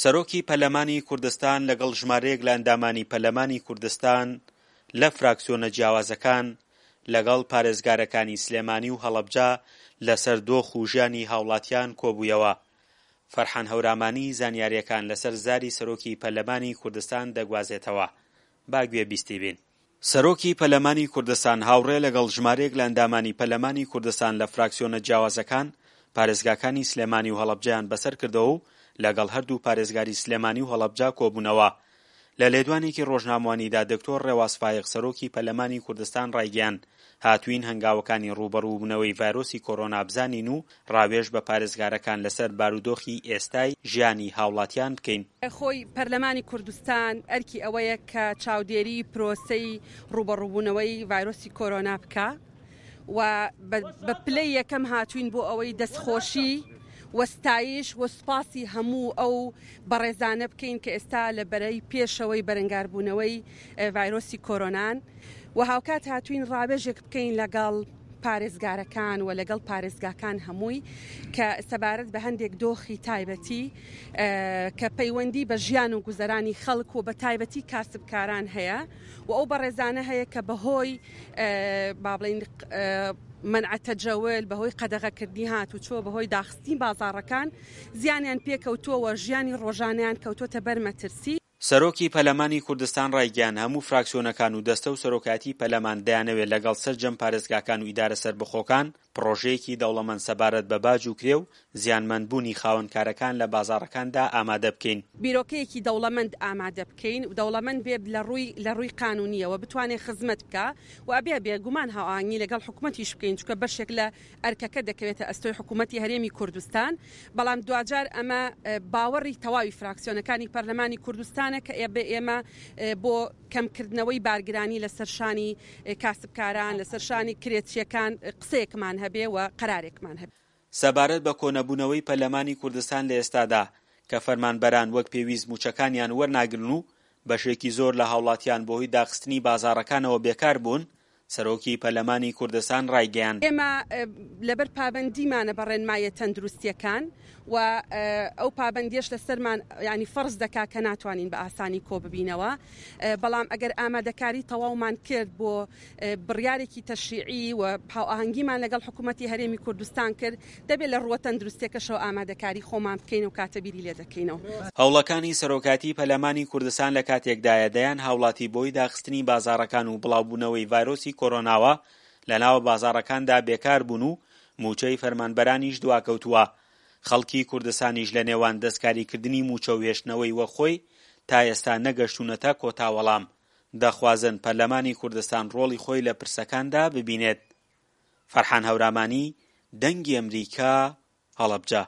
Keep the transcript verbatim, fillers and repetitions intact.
سەرۆکی پەرلەمانی کوردستان لەگەڵ ژمارەیەک لە ئەندامانی پەرلەمانی کوردستان لە فراکسیۆنە جیاوازەکان لەگەڵ پارێزگارەکانی سلێمانی و هەڵەبجە لەسەر دۆخ و ژیانی هاوڵاتیان کۆبوویەوە. فەرحان هەورامانی زانیارییەکان لەسەر زاری سەرۆکی پەرلەمانی کوردستان دەگوازێتەوە. با گوێ بیستی بین. سەرۆکی پەرلەمانی کوردستان هاوڕێ لەگەڵ ژمارەیەک لە ئەندامانی پەرلەمانی کوردستان لە فراکسیۆنە جیاوازەکان پارێزگاکانی سلێمانی و هەڵەبجەیان بەسەر کردەوە و لەگەڵ هەردوو پارێزگاری سلێمانی و هەڵەبجە کۆبوونەوە. لە لێدوانێکی ڕۆژنامەوانیدا دکتۆر ڕێواس فایەق سەرۆکی پەرلەمانی کوردستان ڕایگەیاند، هاتووین هەنگاوەکانی ڕووبەڕووبوونەوەی ڤایرۆسی کۆرۆنا بزانین و ڕاوێژ بە پارێزگارەکان لەسەر بارودۆخی ئێستای ژیانی هاوڵاتیان بکەین. خۆی پەرلەمانی کوردستان ئەرکی ئەوەیە کە چاودێری پرۆسەی ڕووبەڕووبوونەوەی ڤایرۆسی کۆرۆنا بکا و بە پلەی یەکەم هاتووین بۆ ئەوەی دەستخۆشی و ستایش و سوپاسی هەموو ئەو بەڕێزانە بکەین کە ئێستا لە بەرەی پێشەوەی بەرەنگاربوونەوەی ڤایرۆسی کۆرۆنان و هاوکات هاتووین ڕاوێژێک بکەین لەگەڵ پارێزگارەکان و لەگەڵ پارێزگاکان هەمووی کە سەبارەت بە هەندێک دۆخی تایبەتی کە پەیوەندی بە ژیان و گوزەرانی خەڵک و بە تایبەتی کاسبکاران هەیە و ئەو بەڕێزانە هەیە کە بەهۆی با بڵێین منع تەجەول، بەهۆی قەدەغەکردنی هاتوچۆ، بەهۆی داخستنی بازاڕەکان زیانیان پێکەوتووە و ژیانی ڕۆژانەیان کەوتووەتە بەر مەترسی. سەرۆکی پەرلەمانی کوردستان ڕایگەیاند، هەموو فراکسیۆنەکان و دەستە و سەرۆکایەتی پەرلەمان دەیانەوێت لەگەڵ سەرجەم پارێزگاکان و ئیدارە سەربەخۆکان پڕۆژەیەکی دەوڵەمەند سەبارەت بە باج و کرێ و زیانمەندبوونی خاوەنکارەکان لە بازاڕەکاندا ئامادە بکەین. بیرۆکەیەکی دەوڵەمەند ئامادە بکەین و دەوڵەمەند بێت لە ڕووی لە ڕووی قانوونییەوە بتوانێت خزمەت بکا و ئەبێ بێ گومان هاوئاهەنگی لەگەڵ حکوومەتیش بکەین چونکە بەشێک لە ئەرکەکە دەکەوێتە ئەستۆی حکوومەتی هەرێمی کوردستان بەڵام دواجار ئەمە باوەڕی تەواوی فراکسیۆنەکانی پەرلەمانی کوردستانە کە ئەبێ ئێمە بۆ کەمکردنەوەی بارگرانی لەسەر شانی کاسبکاران لەسەر شانی کرێچییەکان قسەیەکمان هەبێ و قەرارێکمان هەبێ. سەبارەت بە کۆنەبوونەوەی پەرلەمانی کوردستان لە ئێستادا کە فەرمانبەران وەک پێویست مووچەکانیان وەرناگرن و بەشێکی زۆر لە هاوڵاتیان بەهۆی داخستنی بازاڕەکانەوە بێکار بوون، سەرۆکی پەرلەمانی کوردستان ڕایگەیاند. ئێمە لەبەر پابەندیمانە بە ڕێنماییە تەندروستییەکان و ئەو پابەندییەش لەسەرمان یانی فەرز دەکا کە ناتوانین بە ئاسانی کۆببینەوە، بەڵام ئەگەر ئامادەکاری تەواومان کرد بۆ بڕیارێکی تەشریعی و هاوئاهەنگیمان لەگەڵ حکوومەتی هەرێمی کوردستان کرد، دەبێت لە ڕووە تەندروستییەکەشەوە ئامادەکاری خۆمان بکەین و کاتە بیری لێ دەکەینەوە. هەوڵەکانی سەرۆکایەتی پەرلەمانی کوردستان لە کاتێکدایە دەیان هاوڵاتی بەهۆی داخستنی بازاڕەکان و بڵاوبوونەوەی ڤایرۆسی کۆرۆناوە لەناو بازاڕەکاندا بێکار بوون و مووچەی فەرمانبەرانیش دواکەوتووە، خەڵکی کوردستانیش لە نێوان دەستکاریکردنی مووچە و هێشتنەوەی وەک خۆی تا ئێستا نەگەشتوونەتە کۆتا وەڵام، دەخوازن پەرلەمانی کوردستان ڕۆڵی خۆی لە پرسەکاندا ببینێت. فەرحان هەورامانی، دەنگی ئەمریکا، هەڵەبجە.